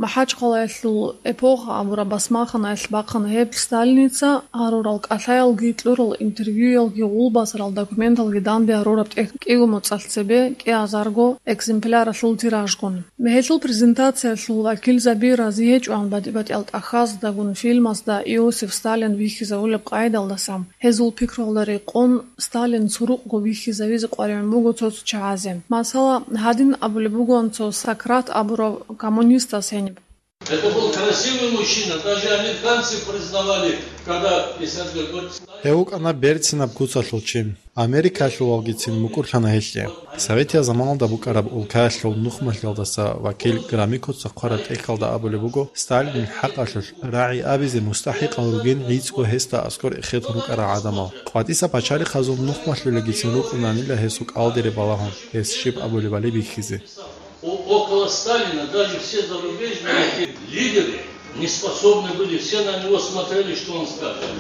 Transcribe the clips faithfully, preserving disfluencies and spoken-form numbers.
МахӀачхъалаялъул «Эпоха» абураб басмаханаялъ бахъана гьеб Сталиница гьарурал кӀалъаялги кьурал интервьюялги гъулбасарал документалги данде гьарураб тӀехь кӀиго моцӀалъ цебе кӀиазарго экземпляралъул тиражгун. Гьелъул презентациялъул вакилзаби рази гьечӀоан батӀи-батӀиял тӀахьаздагун фильмазда Иосиф Сталин вихьизавулеб къайдалдаса. Гьезул пикруялда рекъон Сталин цурукъго вихьизавизе къваригӀун буго цо-цо чагӀазе. Масала, гьадин абулеб бугоан цо Сократ абурав коммунистас гьениб. Это был красивый мужчина, даже американцы признавали, когда Исаак говорит, Гьев вукӀана берцинаб куцалъул чи. Америкалъувалгицин мукӀурлъана гьелъе. Советиял заманалда букӀараб улкаялъул нухмалъиялдаса вакил Громыко цо хъвараб тӀехьалда абулеб буго, Сталинил хӀакъалъулъ рагӀи абизе мустахӀикъал ругин гӀицӀго гьесда аскӀор эхетун рукӀарал гӀадамал. КъватӀиса пачалихъазул нухмалъулагицин рукӀунанила гьесул кӀалдире балагьун, гьес щиб абулебали бихьизе. О-, около Сталина даже все зарубежные лидеры не способны были, все на него смотрели, что он скажет.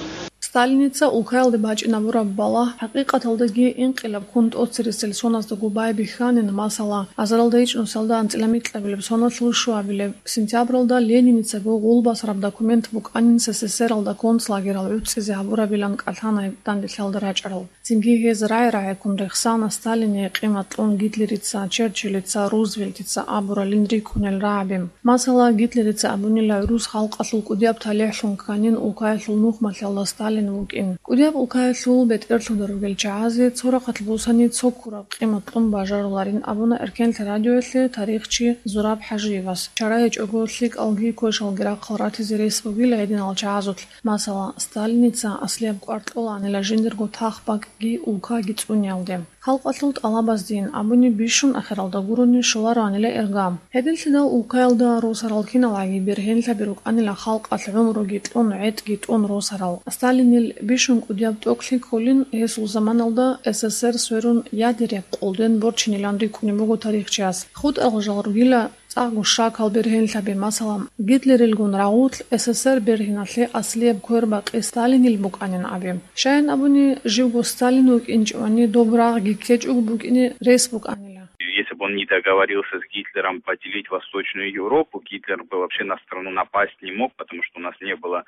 Сталиница улкаялде бачӀинабураб балагь хӀакъикъаталдаги инкъилаб ккун тӀоцересел соназдаго байбихьанин, масала, азаралда ичӀнусалда анцӀила микьабилеб соналъул щуабилеб сентябралда Лениницаго гъулбасараб документ букӀанин СССР-алда концлагерал гӀуцӀизе гьабурабилан кӀалъана данделъалда рачӀарал. Цинги гьез рагӀи-рагӀиккун рехсана Сталине къимат кьун Гитлерица, Черчиллица, Рузвельтица абуралин рикӀкӀунел рагӀаби. Масала, Гитлерица абунила гӀурус халкъалъул кӀудияб талихӀлъун кканин улкаялъул нухмалъиялда Сталин вукӀин. КӀудияб улкаялъул бетӀерлъударал чагӀазе цо рахъалъ бусани цо ккураб къимат кьун бажаруларин абуна Эркенлъи радиоялъе тарихчи Зураб ХӀажиевас. Чара гьечӀого лъикӀалги квешалги рахъал ратизе рес бугила гьединал чагӀазулъ. Масала, Сталиница аслияб кӀвар кьолаанила жиндирго тах-бакӀги улкаги цӀуниялде. Халкъалъул тӀалабаздейин абуни бищун ахиралда гурони щолароанила ирга. Гьединлъидал улкаялда росарал киналгӀаги бергьенлъаби рукӀанила халкъалъ гӀумруги кьун, гӀетӀги тӀун росарал. Сталинил бищун кӀудияб тӀокӀлъи кколин гьесул заманалда СССР сверун ядеряб къолден борчинилан рикӀкӀунеб буго тарихчияс. ХутӀарал жал ругила цӀакъго щакал бергьенлъаби, масала, Гитлерилгун рагъулъ СССР бергьиналъе аслияб квербакъи Сталинил букӀанин аби. Щайин абуни, живго Сталин вукӀинчӀевани доб рагъги ккечӀого букӀине рес букӀанила. Если бы он не договорился с Гитлером поделить Восточную Европу, Гитлер бы вообще на страну напасть не мог, потому что у нас не было,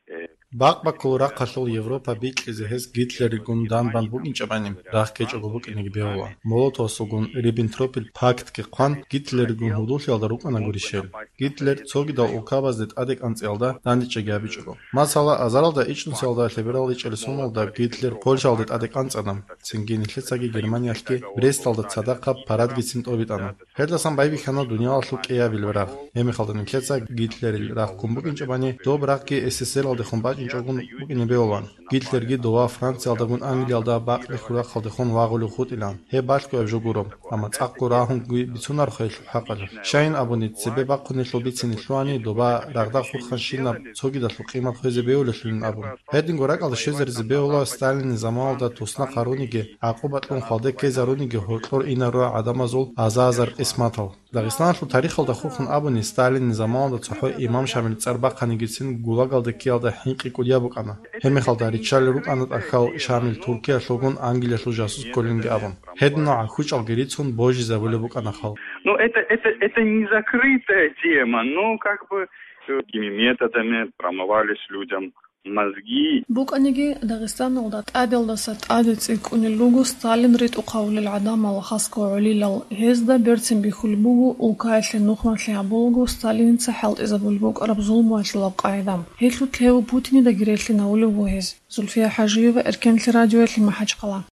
э, Бакъ-баккул рахъалъул Европа бикьизе гьес Гитлеригун данбан букӀинчӀебани, рагъ ккечӀого букӀинеги бегьула. Молотовасулгун Риббентропил пактги хъван, Гитлеригун гьудуллъиялда рукӀана гурищ гьел. Гитлер цогидал улкабазде тӀаде кӀанцӀиялда дандечӀеги гьабичӀого. Масала, азаралда ичӀнусиялда лъеберал ичӀел соналда Гитлер Польшалде тӀаде кӀанцӀана, цинги нилъецаги Германиялъги Бресталда цадахъаб парадгицин тӀобитӀана. Гьелдасан байбихьана дуниялалъул кӀиабилеб рагъ. Гьебмехалда нилъеца Гитлерил рагъ ккун букӀинчӀебани, доб рагъги СССР-алдехун бачӀинчӀогун букӀине бегьулаан. Гитлерги дова Франциялдагун Англиялда бакълихьул рахъалдехун вагъулев хутӀилаан. Гьеб балъго гьеб жо гуро, амма цӀакъго рагьунги бицунарухъ гьелъул хӀакъалъулъ. Щайин абуни, цебе бахъунелъул бицине лъугьани, доба рагъда хурханщинаб цогидалъул къимат хвезе бегьулелъулин абун. Гьединго ракӀалде щвезаризе бегьула Сталинил заманалда туснахъ гьаруниги, гӀакъуба кьун хвалде ккезаруниги гьоркьор инарура гӀадамазул аза-азар къисматал. Дагъистаналъул тарихалда хурхун абуни, Сталинил заманалда цохӀо имам Шамил цӀар бахъанигицин ГУЛАГалде ккеялда хӀинкъи кӀудияб букӀана. Гьебмехалда риччалел рукӀана тӀахьал Шамил Туркиялъулгун Англиялъул жасус кколинги абун. Гьединал гӀахьучӀалги рицун божизабулеб букӀана халкъ. Ну, это, это, это не закрытая тема, но как бы, э, такими методами промывались людям мозги. БукӀаниги, Дагъистаналда тӀадалдаса тӀаде цӀикӀкӀунел руго Сталин ритӀухъ гьавулел гӀадамал хасго гӀолилал. Гьезда берцин бихьулеб буго, улкаялъе нухмалъи гьабулаго Сталиница хӀалтӀизабулеб букӀараб зулмуялъулаб къагӀида. Гьелъулъ гьев Путинидаги релълъинавулев вугьез. Зульфия ХӀажиева, Эркенлъи радиоялъе, МахӀачхъала.